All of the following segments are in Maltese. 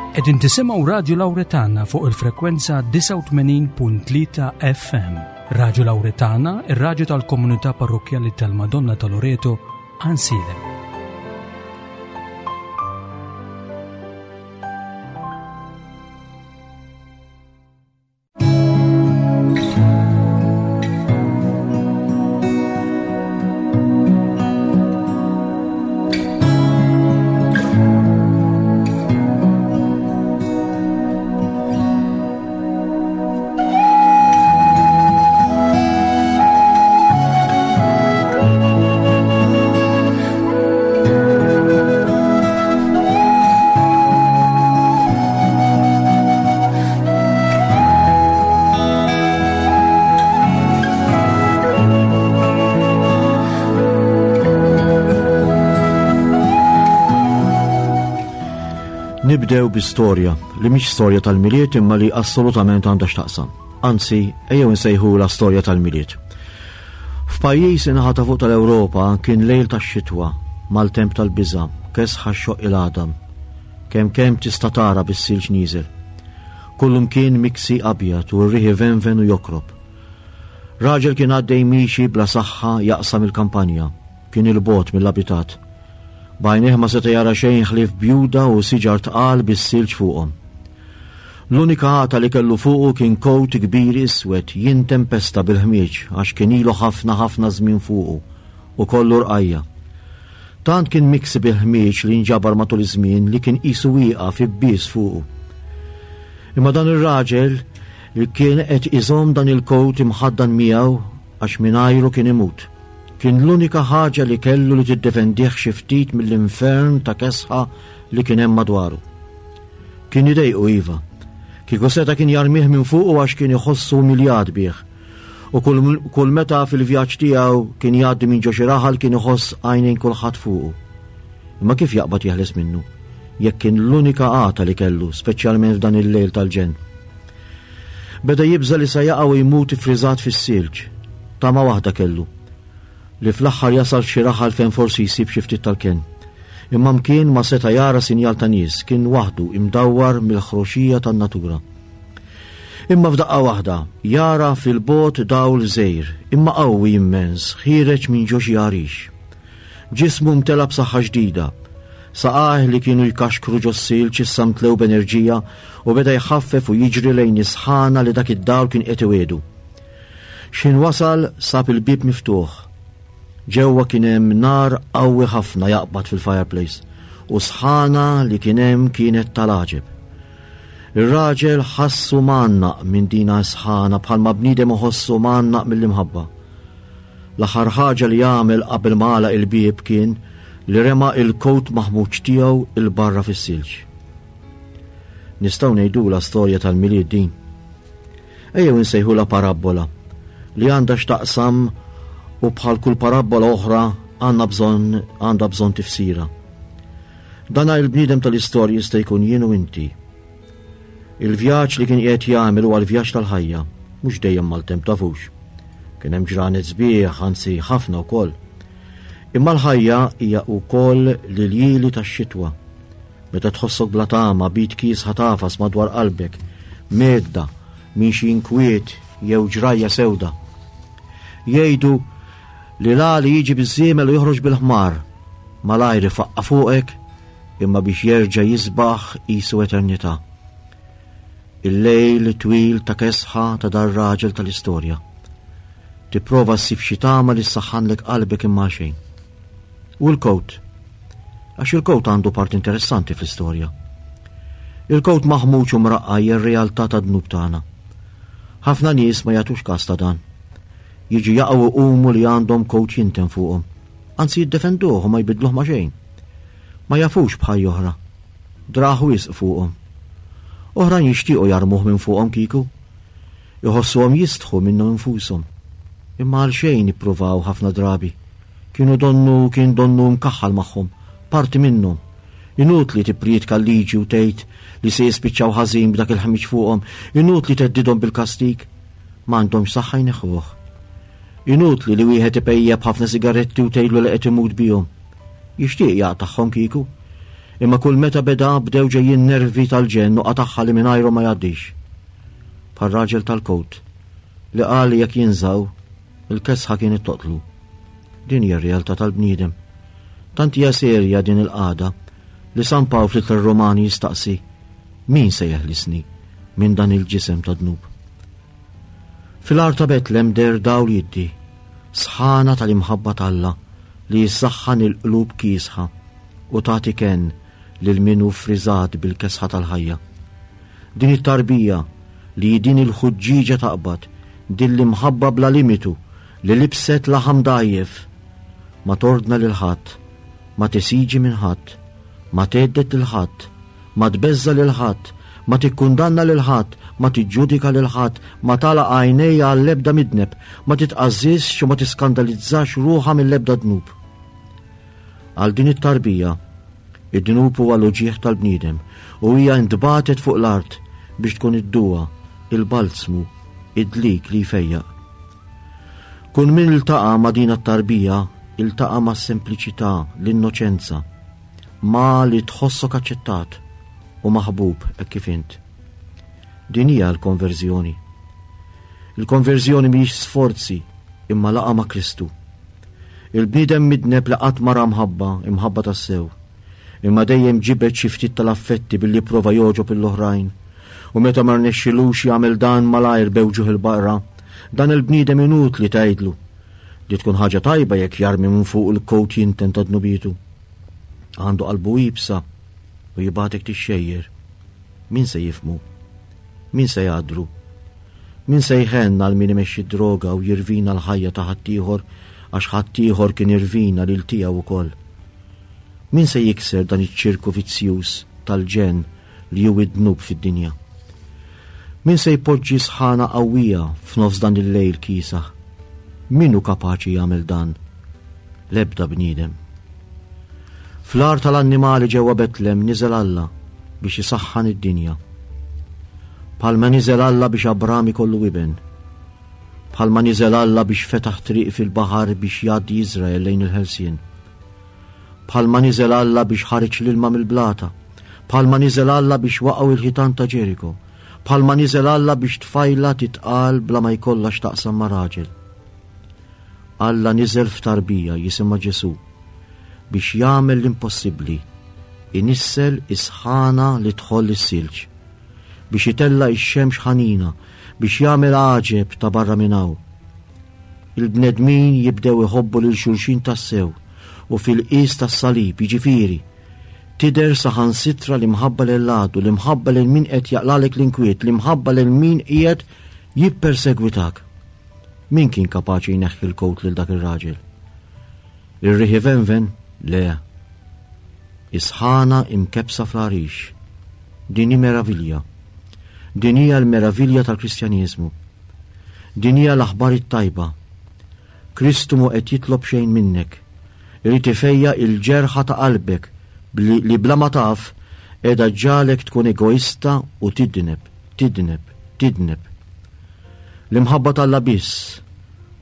Qegħdin tisimgħu Radju Lawretana fuq il-frekwenza 89.3 FM. Radju Lawretana, ir-radju tal-komunità parrokkjali tal-Madonna ta' Loreto, Ansilem. Nibdew bi storja li mhix storja tal-Milied imma li assolutament għandha x'taqsam. Anzi, ejjew insejħula storja tal-Milied. F'pajjiż in-naħa ta' fuq tal-Ewropa kien lejl tax-xitwa, maltemp tal-biża', kesħa xxoqq il-għadam. Kemm kemm tista' tara bis-silġ nieżel. Kullumkien miksi abjad u r-riħ ivenven u jokrob. Raġel kien għaddej miexi bla saħħa jaqsam il-kampanja. Kien 'il bogħod mill-abitat. B'għajnejh ma seta' jara xejn ħlief bjuda u siġar tqal bis-silġ fuqhom. L-unika għata li kellu fuqu kien kowt kbir iswed jintempesta bil-ħmieġ għax kien ilu ħafna ħafna żmien fuqu u kollu rqajja'. Tant kien miksi bil-ħmieġ li nġabar matul iż-żmien li kien qisu wieqaf ibbies fuqu. Imma dan ir-raġel li kien qed iżomm dan il-kowt imħaddan miegħu għax mingħajru kien imut. Kien l-unika ħaġa li kellu li tiddefendih xi ftit mill-infern ta' kesħa li kien hemm madwaru. Kien idejqu iva. Kieku seta' kien jarmih minn fuqu għax kien iħossu umiljat bih. U kull, kull meta fil-vjaġġ tiegħu kien jgħaddi minn ġo xi raħal kien iħoss għajnejn kulħadd fuqu. Imma kif jaqbad jeħles minnu? Jekk kien l-unika għata li kellu, speċjalment f'dan il-lejl tal-ġenn. Beda jibża' li sa jaqa' u jmut iffriżat fis-silġ. Tama waħda kellu. Li fl-aħħar jasal f'xi raħal fejn forsi jsib xi ftit tal-kenn. Imma mkien ma seta' jara sinjal ta' nies, kien waħdu imdawwar mill-ħroxija tan-natura. Imma f'daqqa waħda, jara fil-bogħod dawl żgħir, imma qawwi immens, ħiereġ minn ġo xi għarix. Ġismu mtela b'saħħa ġdida. Saqajh li kienu jkaxkru ġos-silġ issa mtlew b'enerġija u beda jħaffef u jiġri lejn is-sħana li dak id-dawl kien qed iwiegħdu. X'ħin wasal sab il-bieb miftuħ. Ġewwa kien hemm nar qawwi ħafna jaqbad fil-fireplace u s-sħana li kien hemm kienet tal-għaġeb. Ir-raġel ħassu mgħannaq minn dina s-sħana bħalma bniedem iħossu mgħannaq mill-imħabba. L-aħħar ħaġa li għamel qabel ma għalaq il-bieb kien li rema il-kowt maħmuġ tiegħu 'il barra fis-silġ. Nistgħu ngħidulha storja tal-Milied din. Ejjew insejħulha parabbola li għandha x'taqsam u bħal kull parabbola oħra għandna bżonn għandha bżonn tifsira. Dana il-bniedem tal-istorja jista' jkun jien u inti. Il-vjaġġ li kien qiegħed jagħmel huwa l-vjaġġ tal-ħajja, mhux dejjem maltemp tafux. Kien hemm ġranet sbieħ, anzi ħafna wkoll. Imma l-ħajja hija wkoll l-iljieli tax-xitwa. Meta tħossok bla tama, b'id kiesħa tagħfas madwar qalbek, mgħedda minn xi inkwiet jew ġrajja sewda. Jgħidu li l-għali jiġi biż-żiemel u joħroġ bil-ħmar, malajr ifaqqa' fuqek imma biex jerġa' jisbaħ qisu eternità. Il-lejl twil ta' kesħa ta' dar-raġel tal-istorja. Tipprova ssib xi tama li ssaħħanlek qalbek imma xejn. U l-kowt. Għax il-kowt għandu part interessanti fl-istorja. Il-kowt maħmuġ u mraqqa hija r-realtà tad-dnub tagħna. Ħafna nies ma jagħtux każ ta' dan. Jiġu jaqgħu u jqumu li għandhom kowt jinten fuqhom. Anzi jiddefenduh u ma jbiddluh ma' xejn. Ma jafux b'ħajja oħra. Drah wisq fuqhom. Oħrajn jixtiequ jarmuh minn fuqhom kieku. Iħossuhom jistħu minnhom infushom. Imma għalxejn ippruvaw ħafna drabi. Kienu donnu kien donnu mkaħħal magħhom, parti minnhom. Inutli tipprietka l-liġi u tgħid li se jispiċċaw ħażin b'dak il-ħmiġ fuqhom, inutli theddidhom bil-kastig. M'għandhomx saħħa jneħħuh. Inutli li wieħed ipejjep ħafna sigaretti u tgħidlu li qed imut bihom. Jixtieq jaqtagħhom kieku. Imma kull meta beda bdew ġejjin nervi tal-ġenn u qatagħha li mingħajru ma jgħaddix. Bħal raġel tal-kowt li qal li jekk jinżaw, il-kesħa kienet toqtlu. Din hija r-realtà tal-bniedem. Tant hija serja din il-qagħda li San Pawl fl-Ittra Romani jistaqsi min se jeħlisni minn dan il-ġisem ta' dnub. Fil-għar ta' Betlem der dawl jiddi, sħana tal-imħabba t'Alla li jissaħħan il-qlub kiesħa u tagħti kenn lil min hu ffriżat bil-kesħa tal-ħajja. Din it-tarbija li hi din il-ħuġġieġa taqbad, din l-imħabba bla limitu li libset laħam dgħajjef, ma tordna lil ħadd, ma tesiġi minn ħadd, ma thedded lil ħadd, ma tbeżża' lil ħadd, ma tikkundanna lil ħadd, ma tiġġudika lil ħadd, ma tagħlaq għajnejha għall-ebda midneb, ma titqażżiżx u ma tiskandalizzax ruħha mill-ebda dnub. Għal din it-tarbija, id-dnub huwa l-uġigħ tal-bniedem u hija ntbagħtet fuq l-art biex tkun id-duwa, il-balzmu, id-dlik li jfejjaq. Kull min iltaqa' ma' din t-tarbija iltaqa' mas-sempliċità, l-innoċenza, ma' li tħossok aċċettat u maħbub hekk kif int. Din hija l-konverżjoni. Il-konverżjoni mhijiex sforzi imma laqgħa ma' Kristu. Il-bniedem midneb li qatt ma ra mħabba, imħabba tassew. Imma dejjem ġibed xi ftit tal-affetti billi prova jogħġob lill-oħrajn. U meta ma rnexxilux jagħmel dan malajr bewġuh il-baqra, dan il-bniedem inutli tgħidlu li tkun ħaġa tajba jekk jarmi minn fuq il-kowt jinten ta' dnubietu. Għandu qalbu iebsa u jibgħatek tixxejjer. Min se jifhmu? Min se jgħaddru? Min se jħenn għal min imexxi d-droga u jirvina l-ħajja ta' ħaddieħor għax ħaddieħor kien irvina lil tiegħu wkoll? Min se jikser dan iċ-ċirku vizzjuż tal-ġenn li hu id-dnub fid-dinja? Min se jpoġġi sħana qawwija f'nofs dan il-lejl kiesaħ? Min hu kapaċi jagħmel dan? L-ebda bniedem. Fl-għar tal-annimali ġewwa Betlem niżel Alla biex isaħħan id-dinja. Bħalma niżel Alla biex Abram ikollu iben. Bħalma niżel Alla biex fetaħ triq fil-baħar biex jgħaddi Iżrael lejn il-ħelsien. Bħalma niżel Alla biex ħareġ l-ilma mill-blata. Bħalma niżel Alla biex waqgħu il-ħitan ta' Ġeriko. Bħalma niżel Alla biex tfajla titqal bla ma jkollha x'taqsam ma' raġel. Alla niżel f'tarbija jisimha Ġesù biex jagħmel l-impossibbli, inissel is-sħana li tħoll is-silġ, biex itella' x-xemx ħanina, biex jagħmel għaġeb ta' barra minn hawn. Il-bnedmin jibdew iħobbu lil xulxin tassew u fil-qies tas-salib, jiġifieri, tidher saħansitra l-imħabba lil għadu, l-imħabba lil min qed jaqlalek l-inkwiet, l-imħabba lil min qiegħed jippersegwitak. Min kien kapaċi jneħħi l-kowt lil dak ir-raġel? Ir-riħ ivenven? Le. Is-sħana imkebbsa fl-għarix. Din hi meravilja. Din hija l-meravilja tal-Kristjaneżmu. Din hija l-aħbar it-tajba. Kristu mhu qed jitlob xejn minnek. Irid ifejjaq il-ġerħa ta' qalbek li bla ma taf qiegħda ġġagħlek tkun egoista u tidneb, tidneb, tidneb. L-imħabba t'Alla biss,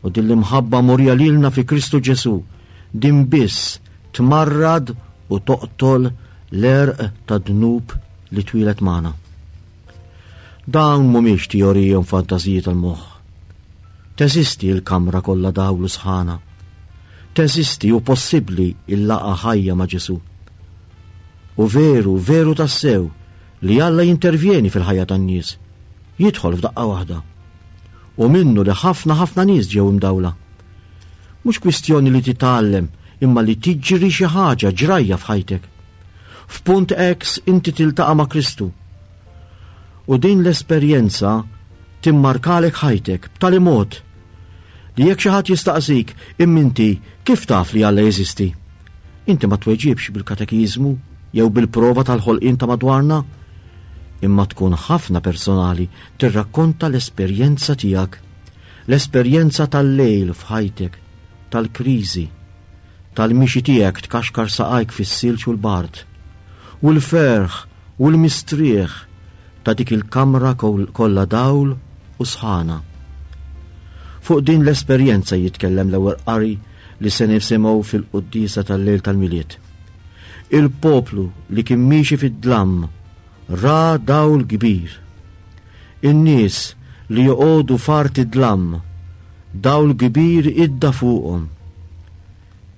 u din l-imħabba murija lilna fi Kristu Ġesù, din biss tmarrad u toqtol l-għerq tad-dnub li twieled magħna. Dawn mhumiex teoriji u fantażiji tal-moħħ. Teżisti l-kamra kollha dawl u sħana. Teżisti u possibbli l-laqgħa ħajja ma' Ġesù. U veru, veru tassew li Alla jintervjeni fil-ħajja tan-nies. Jidħol f'daqqa waħda. U minnu li ħafna ħafna nies ġew imdawla. Mhux kwistjoni li titgħallem imma li tiġri xi ħaġa ġrajja f'ħajtek. F'punt X inti tiltaqa' ma' Kristu. U din l-esperjenza timmarkalek ħajtek b'tali mod li jekk xi ħadd jistaqsik imma inti kif taf li Alla jeżisti? Inti ma tweġibx bil-katekiżmu jew bil-prova tal-ħolqien ta' madwarna, imma tkun ħafna personali tirrakkonta l-esperjenza tiegħek, l-esperjenza tal-lejl f'ħajtek, tal-kriżi, tal-mixi tiegħek tkaxkar saqajk fis-silġ u l-bard, u l-ferħ u l-mistrieħ ta' dik il-kamra kollha dawl u sħana. Fuq din l-esperjenza jitkellem l-ewwel qari li se nisimgħu fil-quddiesa tal-lejl tal-Milied. Il-poplu li kien miexi fid-dlam ra dawl kbir. In-nies li joqogħdu f'art id-dlam, dawl kbir idda fuqhom.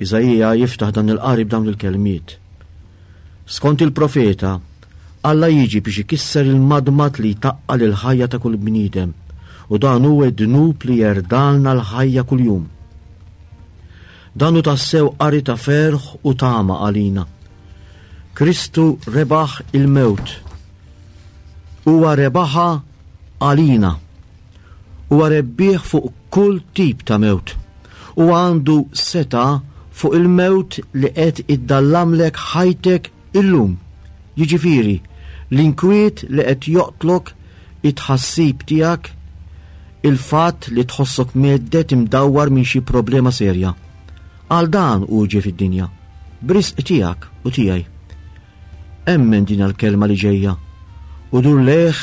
Iżaija jiftaħ dan il-qari b'dawn il-kelmiet. Skont il-profeta, Alla jiġi biex ikisser il-madmad li jtaqqal il-ħajja ta' kull bniedem, u dan hu d-dnub li jerdalna l-ħajja kuljum. Dan hu tassew qari ta' ferħ u tama għalina. Kristu rebaħ il-mewt. Huwa rebaħha għalina. Huwa rebbieħ fuq kull tip ta' mewt. Huwa għandu setgħa fuq il-mewt li qed iddallamlek ħajtek illum. Jiġifieri, l-inkwiet li qed joqtlok it-tħassib tiegħek, il-fatt li tħossok mhedded imdawwar minn xi problema serja. Għal dan hu ġie fid-dinja, b'risq tiegħek u tiegħi. Emmen din l-kelma li ġejja u dur lejh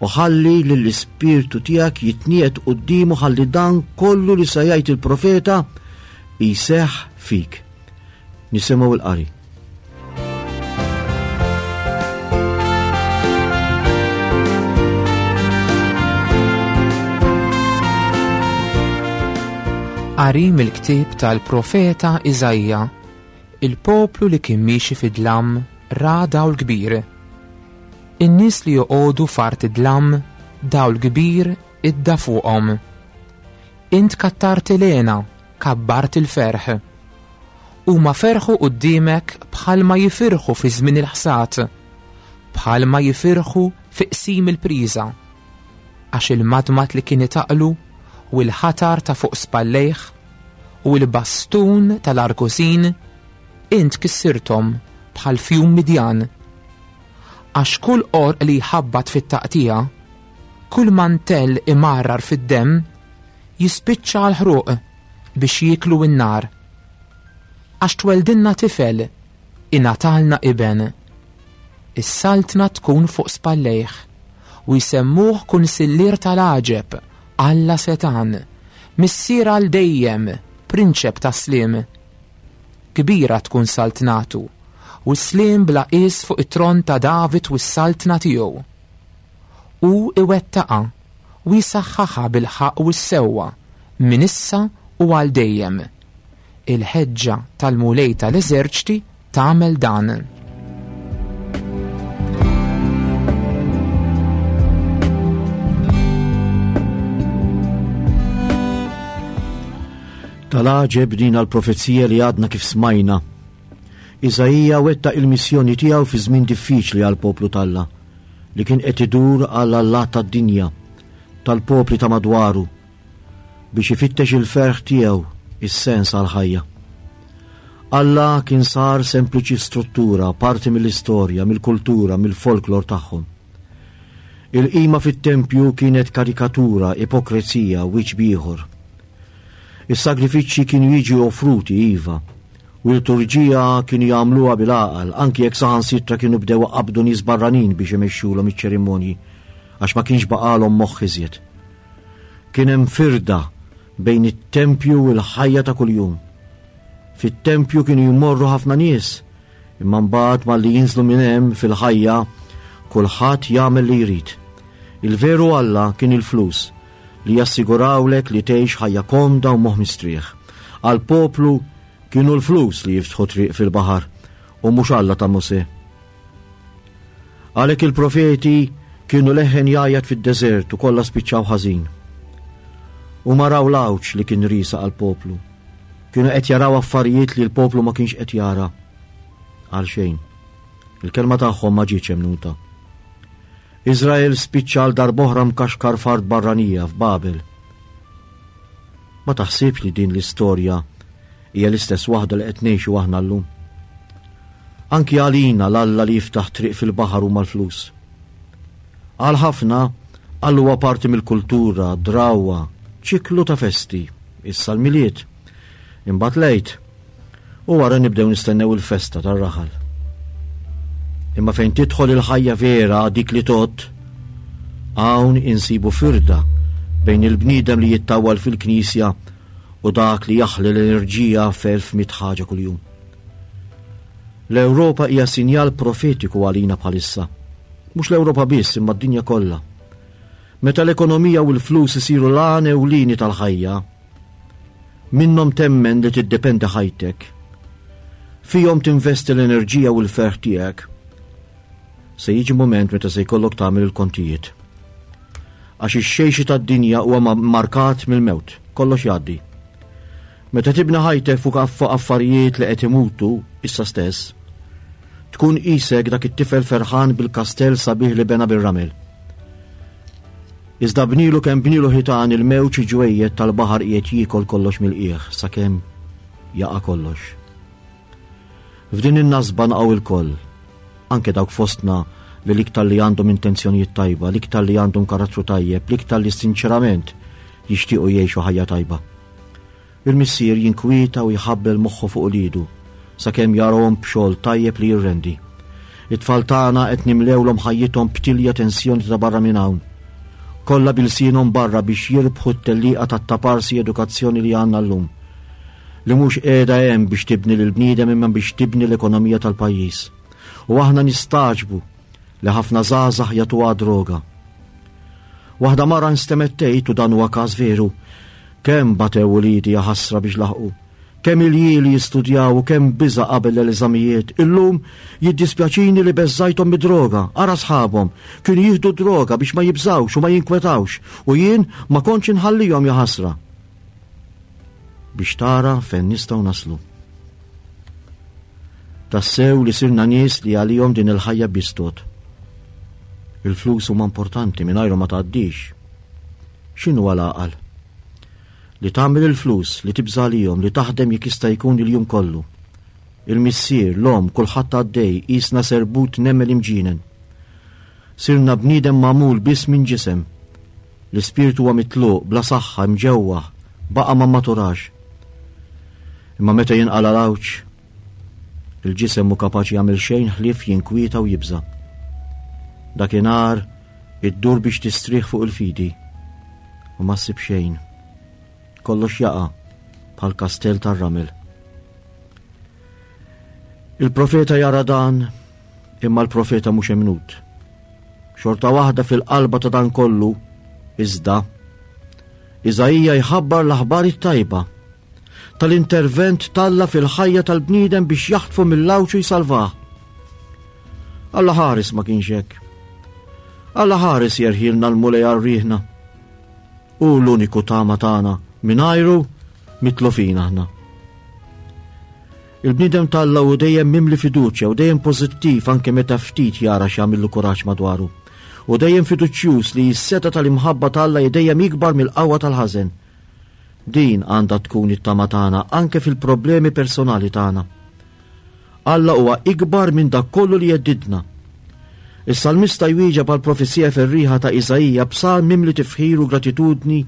u ħalli lill-ispirtu tiegħek jitniegħed quddiemu ħalli dan kollu li se jgħid il-profeta jseħħ fik. Nisimgħu l-qari. Qari mill-ktieb tal-profeta Iżaija Il-poplu li kien miexi fid-dlam ra dawl kbir. In-nies li joqogħdu f'art id-dlam, dawl kbir idda fuqhom. Int kattart il-hena, kabbart il-ferħ. Huma ferħu quddiemek bħalma jifirħu fi żmien il-ħsad, bħalma jifirħu fi qsim il-priża. Għax il-madmad li kien itaqlu u l-ħatar ta' fuq spallejh u l-bastun tal-argusin int kissirthom bħal fjum Midjan. Għax kull qorq li jħabbat fit-taqtigħa, kull mantell imarrar fid-demm, jispiċċa għall-ħruq biex jieklu n-nar. Għax tweldilna tifel, ingħatalna iben. Is-saltna tkun fuq spallejh, u jsemmuh kunsillier tal-għaġeb, Alla setgħan, Missier għal dejjem, Prinċep tas-sliem. Kbira tkun saltnatu, u s-sliem bla qies fuq it-tron ta' David u s-saltna tiegħu. Hu iwettaqha u jsaħħaħha bil-ħaqq u s-sewwa minn issa u għal dejjem. Il-ħeġġa tal-Mulej tal-eżerċti tagħmel dan. Tal-għaġeb din għal-profezija li għadna kif smajna. Iżaija wettaq il-missjoni tiegħu fi żmien diffiċli għall-poplu t'Alla li kien qed idur għal allat tad-dinja, tal-popli ta' madwaru, biex ifittex il-ferħ tiegħu, is-sens għall-ħajja. Alla kien sar sempliċi struttura, parti mill-istorja, mill-kultura, mill-folklor tagħhom. Il-qima fit-tempju kienet karikatura, ipokrezija, wiċċ b'ieħor. Is-sagrifiċċji kienu jiġu offruti, iva, u l-liturġija kienu jagħmluha bil-għaqal, anki jekk saħansitra kienu bdew iqabbdu nies barranin biex imexxulhom iċ-ċerimonji, għax ma kienx baqgħalhom moħħ iżjed. Kien hemm firda bejn it-tempju u l-ħajja ta' kuljum. Fit-tempju kienu jmorru ħafna nies, imma mbagħad malli jinżlu minn hemm fil-ħajja kulħadd jagħmel li jrid. Il-veru Alla kien il-flus li jassigurawlek li tgħix ħajja komda u moħħ mistrieħ. Għall-poplu kienu l-flus li jiftħu triq fil-baħar u mhux Alla ta' Mosè. Għalhekk il-profeti kienu leħen jgħajjat fid-deżert u kollha spiċċaw ħażin. Huma raw l-għawġ li kien riesaq għall-poplu. Kienu qed jaraw affarijiet li l-poplu ma kienx qed jara. Għal xejn. Il-kelma tagħhom ma ġietx emnuta. Iżrael spiċċa għal darb'oħra mkaxkar f'art barranija f'Babel. Ma taħsibx li din l-istorja hija l-istess waħda li qed ngħixu aħna llum? Anki għalina l-Alla li jiftaħ triq fil-baħar huma l-flus. Għal ħafna, Alla huwa parti mill-kultura, drawwa, ċiklu ta' festi, issa l-Milied, imbagħad l-Għid, u wara nibdew nistennew il-festa tar-raħal. Imma fejn tidħol il-ħajja vera dik li tgħodd, hawn insibu firda bejn il-bniedem li jittawwal fil-knisja u dak li jaħli l-enerġija f'elf mit ħaġa kuljum. L-Ewropa hija sinjal profetiku għalina bħalissa. Mhux l-Ewropa biss imma d-dinja kollha. Meta l-ekonomija u l-flus isiru l-għan ewlieni tal-ħajja, minnhom temmen li tiddependi ħajtek. Fihom tinvesti l-enerġija u l-ferħ tiegħek. Se jiġi mument meta se jkollok tagħmel il-kontijiet. Għax ix-xejxi tad-dinja huwa markat mill-mewt, kollox jgħaddi. Meta tibni ħajtek fuq affarijiet li qed imutu issa stess, tkun qisek dak it-tifel ferħan bil-kastell sabiħ li bena bir-ramel. Iżda bnilu kemm bnilu ħitan il-mewġ ġwejjed tal-baħar qiegħed jiekol kollox mill-qiegħ sakemm jaqa' kollox. F'din in-nasba naqgħu ilkoll, anke dawk fostna li l-iktar li għandhom intenzjonijiet tajba, l-iktar li għandhom karattru tajjeb, l-iktar li sinċerament jixtiequ jgħixu ħajja tajba. Il-missier jinkwieta u jħabbel moħħu fuq uliedu sakemm jarahom b'xogħol tajjeb li jirrendi. It-tfal tagħna qed nimlewlhom ħajjithom b'tilja tensjoni ta' barra minn hawn. Kollha bilsienhom barra biex jirbħu t-tellieqa tat-taparsi edukazzjoni li għandna llum. Li mhux qiegħda hemm biex tibni lill-bniedem imma biex tibni l-ekonomija tal-pajjiż. U aħna nistagħġbu li ħafna żgħażagħ jagħtuha droga. Waħda mara nstemgħet tgħid u dan huwa każ veru, kemm batew uliedi jaħasra biex laħqu, kemm iljieli jistudjaw u kemm biża' qabel l-eżamijiet. Illum jiddispjaċini li beżżajthom mid-droga, ara sħabhom, kienu jieħdu droga biex ma jibżgħux u ma jinkwetawx u jien ma kontx inħallihom jaħasra. Biex tara fejn nistgħu naslu. Tassew li sirna nies li għalihom din il-ħajja biss tgħodd. Il-flus huma importanti mingħajrhom ma tgħaddix. X'inhu l-għaqal? Li tagħmel il-flus, li tibża' għalihom, li taħdem jekk jista' jkun il-jum kollu. Il-missier, l-omm, kulħadd għaddej, qisna serbut nemel imġienen. Sirna bniedem magħmul biss minn ġisem. L-ispirtu huwa mitluq, bla saħħa, imġewwaħ, baqa' ma mmaturax. Imma meta jinqala' l-għawġ, il-ġisem mhu kapaċi jagħmel xejn ħlief jinkwieta u jibża'. Dakinhar iddur biex tistrieħ fuq il-fidi u ma ssib xejn. Kollox jaqa' bħal kastell tar-ramel. Il-profeta jara dan, imma l-profeta mhux emnut. Xorta waħda fil-qalba ta' dan kollu, iżda, Iżaija jħabbar l-aħbar it-tajba tal-intervent t'Alla fil-ħajja tal-bniedem biex jaħtfu mill-għawġ u jsalvah. Alla ħares ma kienx hekk. Alla ħares jerħilna l-Mulej għal riħna. Hu l-uniku tama tagħna mingħajru mitlufin aħna. Il-bniedem t'Alla hu dejjem mimli fiduċja u dejjem pożittiv anke meta ftit jara x'jagħmillu kuraġġ madwaru. U dejjem fiduċjuż li s-setgħa tal-imħabba t'Alla hi dejjem ikbar mill-qawwa tal-ħażen. Din għandha tkun it-tama tagħna anke fil-problemi personali tagħna. Alla huwa ikbar minn dak kollu li jeddidna. Is-salmista jwieġeb għal profezija ferriħa ta' Iżaija b'salm mimli tifħir u gratitudni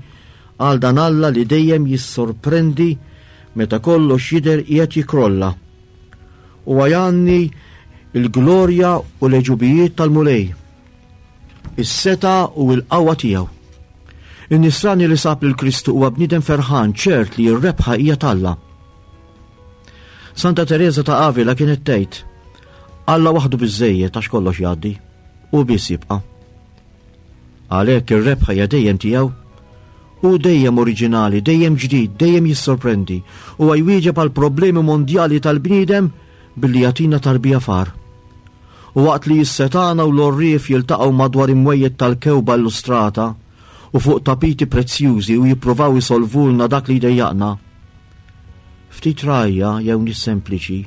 għal dan Alla li dejjem jissorprendi meta kollox jidher qiegħed jikrolla. Huwa jgħanni l-glorja u l-għeġubijiet tal-Mulej. Is-setgħa u l-qawwa tiegħu. In-nisrani li sab lil Kristu huwa bniedem ferħan ċert li r-rebħa hija t'Alla. Santa Tereża ta' Avila kienet tgħid, Alla waħdu biżejjed għax kollox jgħaddi, u biss jibqa'. Għalhekk ir-rebħa hija dejjem tiegħu. Hu dejjem oriġinali, dejjem ġdid, dejjem jissorprendi. Huwa jwieġeb għal problemi mondjali tal-bniedem billi jagħtina tarbija far. U waqt li s-setgħana u l-għorrief jiltaqgħu madwar imwejjed tal-kewba illustrata u fuq tapiti prezzjużi u jippruvaw isolvulna dak li jdejjaqna, ftit rgħajja jew nies sempliċi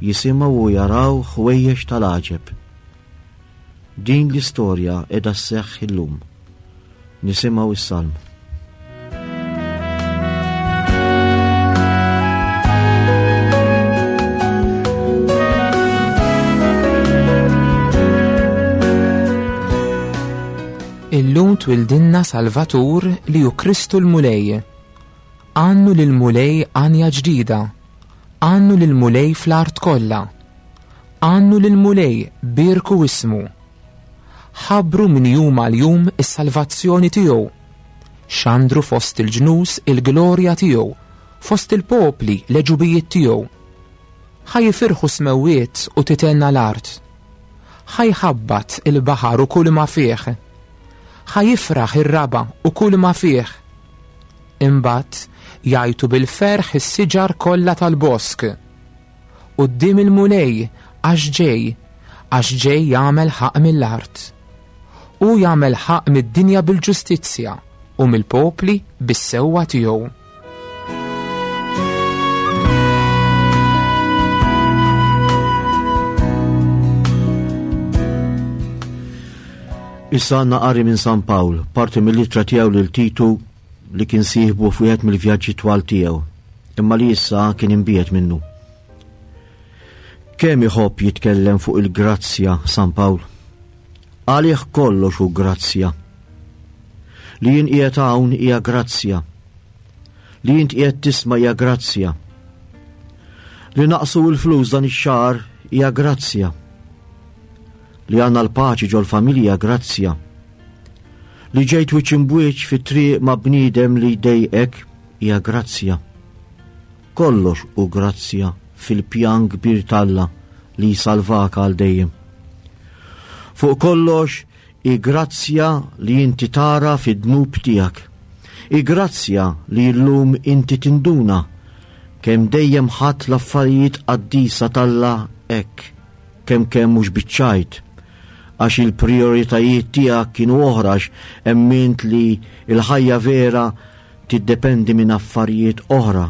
jisimgħu u jaraw ħwejjeġ tal-għaġeb. Din l-istorja qiegħda sseħħ illum. Nisimgħu s-salm. Illum twildinna Salvatur li hu Kristu l-Mulej. Għannu lill-Mulej għanja ġdida. Għannu lill-Mulej fl-art kollha. Għannu lill-Mulej bierku ismu. Ħabbru minn jum għal jum is-salvazzjoni tiegħu. Xandru fost il-ġnus il-glorja tiegħu, fost il-popli l-għeġubijiet tiegħu. Ħa jifirħu s-smewwiet u titenna l-art. Ħa jħabbat il-baħar u kull ma fih. Ħa jifraħ ir-raba' u kull ma fih. Imbagħad jgħajtu bil-ferħ is-siġar kollha tal-bosk. Quddiem il-Mulej għax ġej, għax ġej jagħmel ħaqq mill-art. Hu jagħmel ħaqq mid-dinja bil-ġustizzja u mill-popli bis-sewwa tiegħu. Issa għandna qari minn San Pawl, parti mill-ittra tiegħu lil Titu li kien sieħbu f'wieħed mill-vjaġġi twal tiegħu, imma li issa kien imbiegħed minnu. Kemm iħobb jitkellem fuq il-grazzja San Pawl? Għalih kollox hu grazzja. Li jien qiegħed hawn hija grazzja. Li int qiegħed tisma' hija grazzja. Li naqsu l-flus dan ix-xahar hija grazzja. Li għandna l-paċi ġol-familja grazzja. Li ġejt wiċċ imbwiċċ fit-triq ma' bniedem li jdejqek hija grazzja. Kollox hu grazzja fil-pjan kbir t'Alla li jsalvak għal dejjem. Fuq kollox hi grazzja li inti tara fid-dnub tiegħek. Hi grazzja li llum inti tinduna kemm dejjem ħadt l-affarijiet qaddisa t'Alla hekk, kemm kemm mhux biċ-ċajt, għax il-prijoritajiet tiegħek kienu oħra għax emmint li l-ħajja vera tiddependi minn affarijiet oħra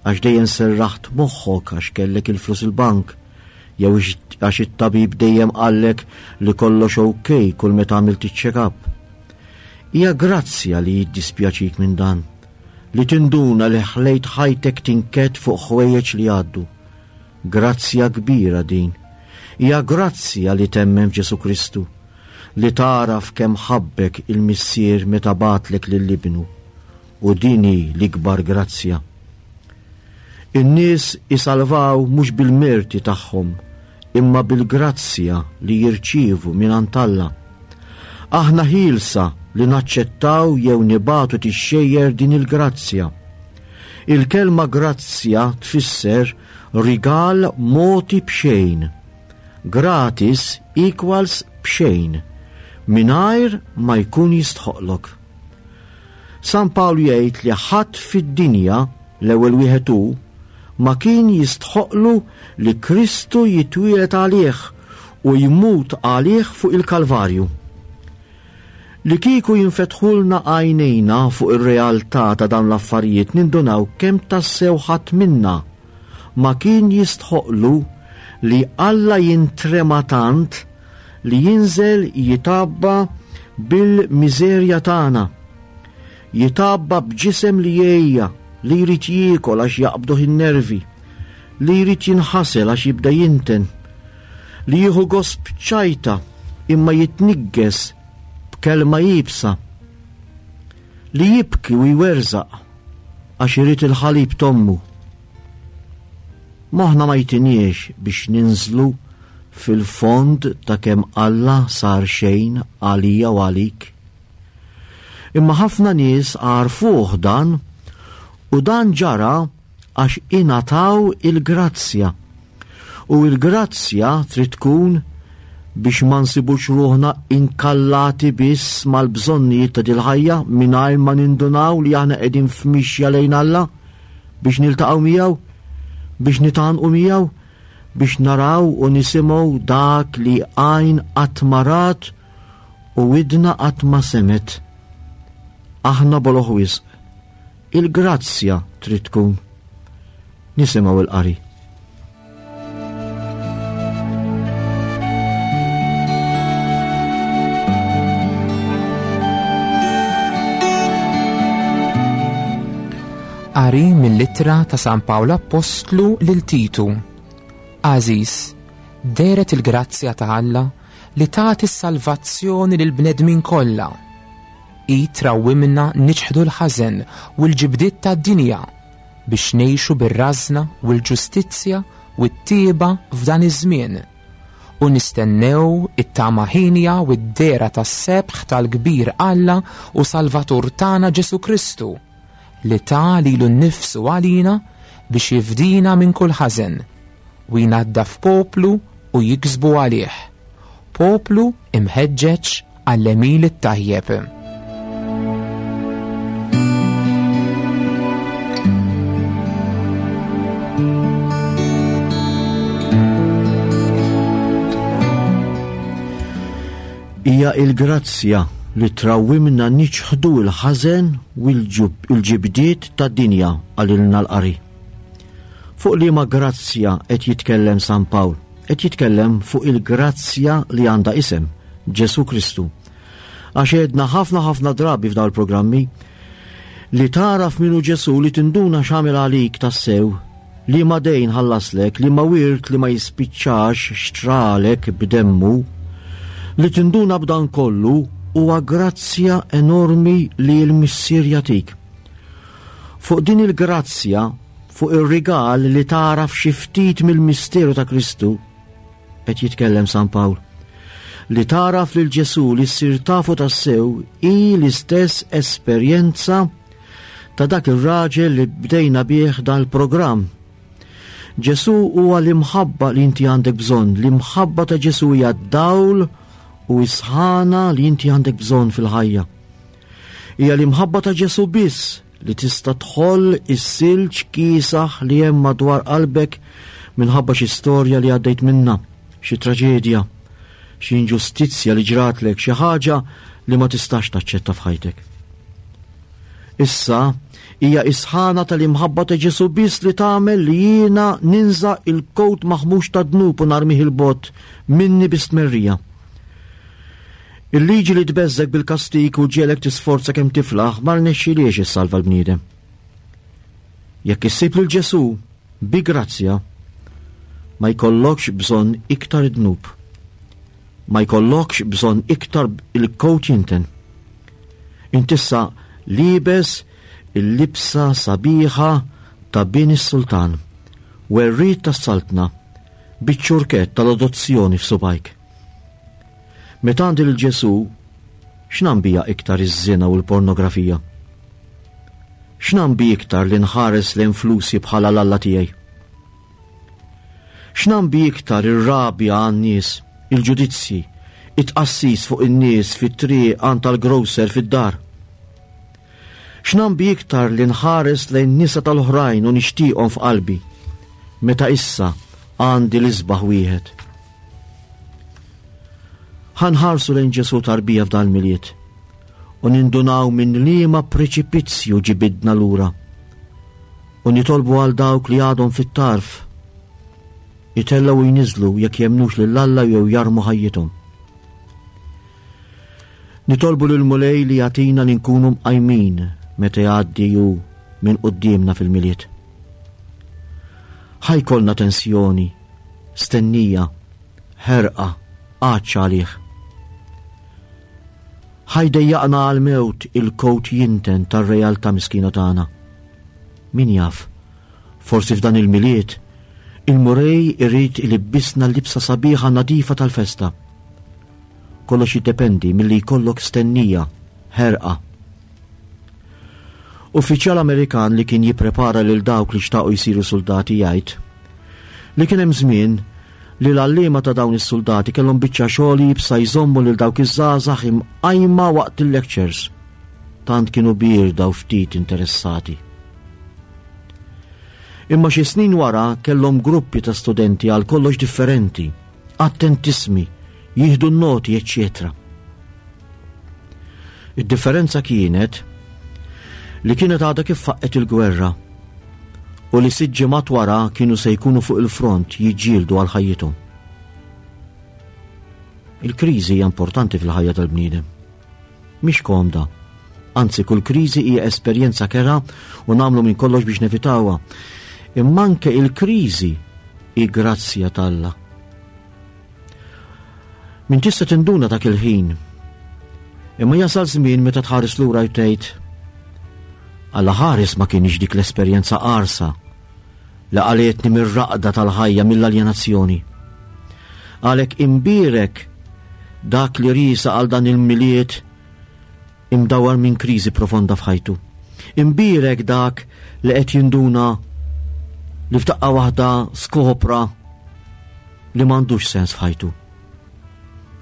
għax dejjem serraħt moħħok għax kellek il-flus il-bank jew għax it-tabib dejjem qallek li kollox ok kull meta għamilt iċ-check-up. Hija grazzja li jiddispjaċik minn dan, li tinduna li ħlejt ħajtek tinkedd fuq ħwejjeġ li jgħaddu. Grazzja kbira din. Hija grazzja li temmen f'Ġesù Kristu. Li tagħraf kemm ħabbek il-Missier meta bagħatlek lil Ibnu, u din hi l-ikbar grazzja. In-nies isalvaw mhux bil-merti tagħhom, imma bil-grazzja li jirċievu mingħand Alla. Aħna ħielsa li naċċettaw jew nibagħtu tixxejjer din il-grazzja. Il-kelma grazzja tfisser rigal mogħti b'xejn. Gratis equals b'xejn, mingħajr ma jkun jistħoqqlok. San Pawl jgħid li ħadd fid-dinja, l-ewwel wieħed hu, ma kien jistħoqqlu li Kristu jitwieled għalih u jmut għalih fuq il-Kalvarju. Li kieku jinfetħulna għajnejna fuq ir-realtà ta' dawn l-affarijiet nindunaw kemm tassew ħadd minna ma kien jistħoqqlu li Alla jintrema tant li jinżel jitgħabba bil-miżerja tagħna. Jitgħabba b'ġisem li jgħejja, li jrid jiekol għax jaqbduh in-nervi, li jrid jinħasel għax jibda jinten, li jieħu gost b'ċajta imma jitniggeż b'kelma iebsa, li jibki u jwerżaq għax irid il-ħalib t'ommu. Moħħna ma jtiniex biex ninżlu fil-fond ta' kemm Alla sar xejn għalija u għalik. Imma ħafna nies għarfuh dan u dan ġara għax ingħataw il-grazzja. U l-grazzja trid tkun biex ma nsibux ruħna inkallati biss mal-bżonnijiet ta' dil-ħajja mingħajr ma nindunaw li aħna qegħdin f'mixja lejn Alla biex niltaqgħu miegħu, biex nitgħannqu miegħu, biex naraw u nisimgħu dak li għajn qatt ma rat u widna qatt ma semgħet. Aħna boloh wisq. Il-grazzja trid tkun. Nisimgħu il-qari. Qari mill-ittra ta' San Pawl Appostlu lil Titu. Għażiż, dehret il-grazzja ta' Alla li tagħti s-salvazzjoni lill-bnedmin kollha. Hi trawwimna niċħdu l-ħażen u l-ġibdiet tad-dinja biex ngħixu bir-rażna u l-ġustizzja u t-tjieba f'dan iż-żmien, u nistennew it-tama hienja u d-dehra tas-sebħ tal-kbir Alla u Salvatur tagħna Ġesù Kristu, li ta lilu nnifsu għalina biex jifdina minn kull ħażen. u jnaddaf poplu u jiksbu għalih. Poplu imħeġġeġ għall-għemil it-tajjeb. Hija il-grazzja li trawwimna niċħdu l-ħażen u l-ġibdiet tad-dinja qalilna l-qari. Fuq liema grazzja qed jitkellem San Pawl? Qed jitkellem fuq il-grazzja li għandha isem, Ġesù Kristu. Għax għedna ħafna ħafna drabi f'dawn il-programmi li tagħraf min hu Ġesù li tinduna x'għamel għalik tassew, li ma dejn ħallaslek, li ma wirt li ma jispiċċax xtralek b'demmu, li tinduna b'dan kollu huwa grazzja enormi li l-Missier jagħtik. Fuq din il-grazzja, fuq ir-rigal li tagħraf xi ftit mill-misteru ta' Kristu, qed jitkellem San Pawl. Li tagħraf lil Ġesù li ssir tafu tassew hi l-istess esperjenza ta' dak ir-raġel li bdejna bih dan il-programm. Ġesù huwa l-imħabba li inti għandek bżonn, l-imħabba ta' Ġesù hija d-dawl u s-sħana li inti għandek bżonn fil-ħajja. Hija l-imħabba ta' Ġesù biss li tista' tħoll is-silġ kiesaħ li hemm madwar qalbek minħabba xi storja li għaddejt minnha, xi traġedja, xi inġustizzja li ġratlek, xi ħaġa li ma tistax taċċetta f'ħajtek. Issa, hija is-sħana tal-imħabba ta' Ġesù biss li tagħmel li jiena ninża' il-kowt maħmux ta' dnub u narmih il-bogħod minni bi stmerrija. Il-liġi li tbeżżgħek bil-kastig u ġġiegħlek tisforza kemm tiflaħ ma rnexxilhiex issalva l-bniedem. Jekk issib lil Ġesù bi grazzja, ma jkollokx bżonn iktar id-dnub. Ma jkollokx bżonn iktar il-kowt jinten. Int issa liebes il-libsa sabiħa ta' bin is-sultan, werriet tas-saltna, biċ-ċurkett tal-adozzjoni f'subgħajk. Meta għandi lil Ġesù, x'nam bija iktar iż-żina u l-pornografija? X'nam bi iktar li nħares lejn flusi bħala l-Alla tiegħi? X'nam bi iktar ir-rabja għan-nies, il-ġudizzji, it-tqassis fuq in-nies fit-triq għand tal-grocer fid-dar? X'nam bi iktar li nħares lejn nisa tal-oħrajn u nixtieqhom f'qalbi, meta issa għandi l-isbaħ wieħed? Ħa nħarsu lejn Ġesù tarbija f'dan il-Milied u nindunaw minn liema preċipizzju ġibidna lura u nitolbu għal dawk li għadhom fit-tarf itellgħu u jniżlu jekk jemmnux lil Alla jew jarmu ħajjithom. Nitolbu lil Mulej li jagħtina li nkunu mqajmin meta jgħaddi hu minn quddiemna fil-Milied. Ħa jkollna tensjoni stennija, ħerqa, għatx għalih. Ħa jdejjaqna għall-mewt il-kowt jinten tar-realtà miskina tagħna. Min jaf, forsi f'dan il-Milied, il-Mulej irid ilibbisna l-libsa sabiħa nadifa tal-festa. Kollox jiddependi milli jkollok stennija, ħerqa. Uffiċjal Amerikan li kien jipprepara lil dawk li xtaqu jsiru suldati jgħid li kien hemm żmien li l-għalliema ta' dawn is-suldati kellhom biċċa xogħol iebsa jżommu lil dawk iż-żgħażagħ imqajma waqt il-lectures. Tant kienu bierda u ftit interessati. Imma xi snin wara kellhom gruppi ta' studenti għal kollox differenti, attentissmi, jieħdu n-noti, eċċetera. Id-differenza kienet li kienet għadha kif faqqet il-gwerra u li sitt ġimgħat wara kienu se jkunu fuq il-front jiġġieldu għal ħajjithom. Il-kriżi hija importanti fil-ħajja tal-bniedem. Mhix komda. Anzi, kull kriżi hija esperjenza kera u nagħmlu minn kollox biex nevitawha. Imma anke il-kriżi hi grazzja t'Alla. Min tista' tinduna dak il-ħin. Imma jasal żmien meta tħares lura tgħid Alla ħares ma kienx dik l-esperjenza qarsa li qalietni mir-raqda tal-ħajja mill-aljenazzjoni. Għalhekk imbierek dak li riesa għal dan il-Milied imdawwar minn kriżi profonda f'ħajtu. Imbierek dak li qed jinduna li f'daqqa waħda skopra. li m'għandux sens f'ħajtu.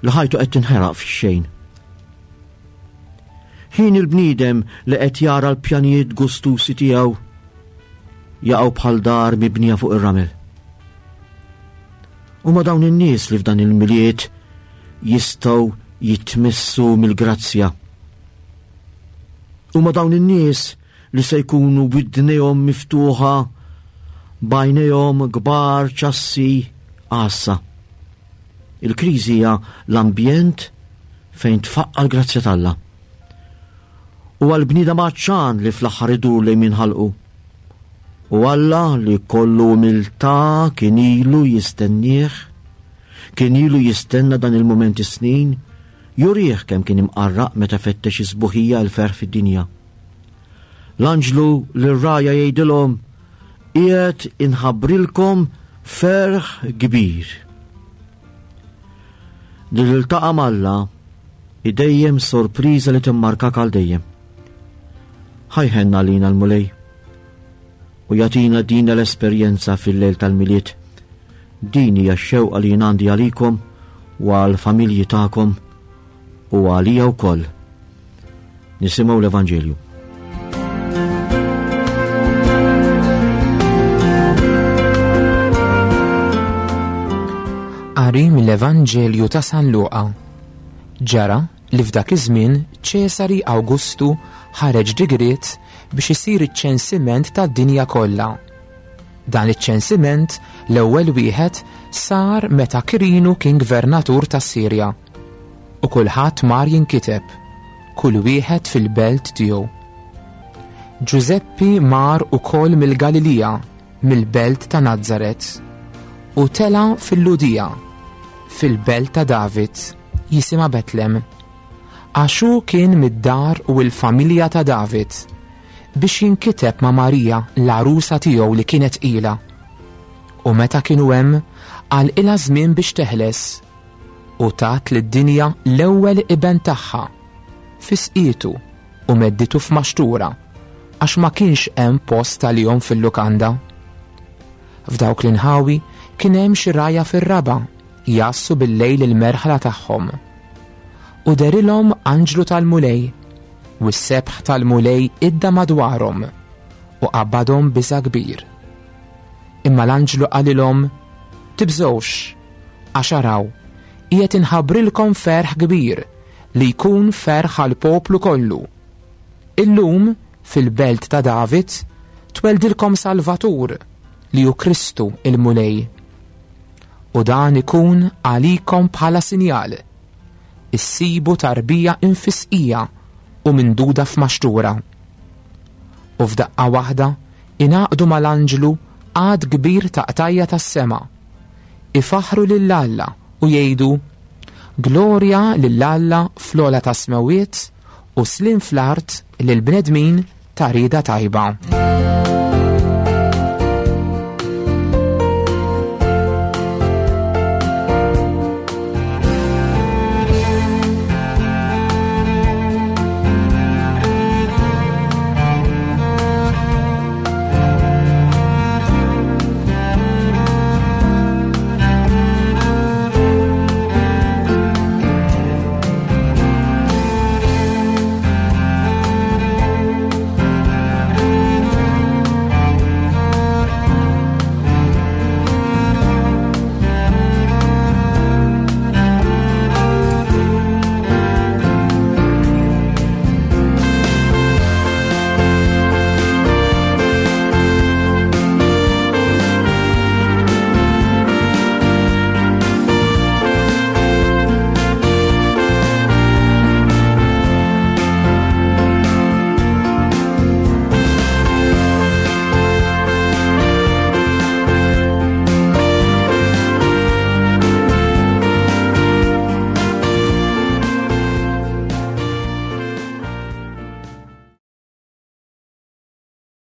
Li ħajtu qed tinħeraq fix-xejn. Ħin il-bniedem li qed jara l-pjanijiet gustusi tiegħu jaqgħu bħal dar mibnija fuq ir-ramel. Huma dawn in-nies li f'dan il-miliet jistgħu jitmissu mill-grazzja. Huma dawn in-nies li se jkunu b'idnejhom miftuħa b'għajnejhom kbar ċassi għassa. Il-kriżi hija l-ambjent fejn tfaqqa l-grazzja t'Alla. U għal-bniedem għatxan li fl-aħħar idur lejn min ħalqu. U Alla li kollu umiltà kien ilu jistennieh, kien ilu jistenna dan il-mument is-snin, jurih kemm kien imqarraq meta fettex is-sbuħija l-ferħ fid-dinja. L-anġlu lir-rgħajja jgħidilhom, Qiegħed inħabbrilkom ferħ kbir. Li tiltaqa' m'Alla hi dejjem sorpriża li timmarkak għal dejjem. Ħa jħenn għalina l-Mulej u jagħtina din l-esperjenza fil-lejl tal-Milied. Din hija x-xewqa li jien għandi għalikom u għall-familji tagħkom u għalija wkoll. Nisimgħu l-Evanġelju. Qari mill-Evanġelju ta' San Luqa. Ġara li f'dak iż-żmien Ċesari Awgustu ħareġ digriet biex isir iċ-ċensiment tad-dinja kollha. Dan iċ-ċensiment l-ewwel wieħed sar meta Kirinu kien gvernatur tas-Sirja. U kulħadd mar jinkiteb, kull wieħed fil-belt tiegħu. Ġużeppi mar ukoll mill-Galilija, mill-belt ta' Nazaret, u tela' fil-Lhudija, fil-belt ta' David, jisimha Betlem, għax hu kien mid-dar u l-familja ta' David, biex jinkiteb ma' Marija l-għarusa tiegħu li kienet tqila. U meta kienu hemm, għalqilha żmien biex teħles, u tat lid-dinja l-ewwel iben tagħha, fisqietu u medditu f'maxtura, għax ma kienx hemm post għalihom fil-lukanda. F'dawk l-inħawi kien hemm xi rgħajja fir-raba' jgħassu bil-lejl il-merħla tagħhom. U derilhom anġlu tal-Mulej, u s-sebħ tal-Mulej idda madwarhom, u qabadhom biża' kbir. Imma l-anġlu qalilhom, Tibżgħux, Għax araw, qiegħed inħabbrilkom ferħ kbir li jkun ferħ għall-poplu kollu. Illum, fil-belt ta' David, tweldilkom Salvatur, li hu Kristu il-Mulej. U dan ikun għalikom bħala sinjal. Issibu tarbija infisqija u minduda f'maxtura. U f'daqqa waħda ingħaqdu mal-anġlu għadd kbir ta' qtajja tas-sema ifaħħru lil Alla u jgħidu, Glorja lil Alla fl-ogħla tas-smewwiet u sliem fl-art lill-bnedmin ta' rieda tajba.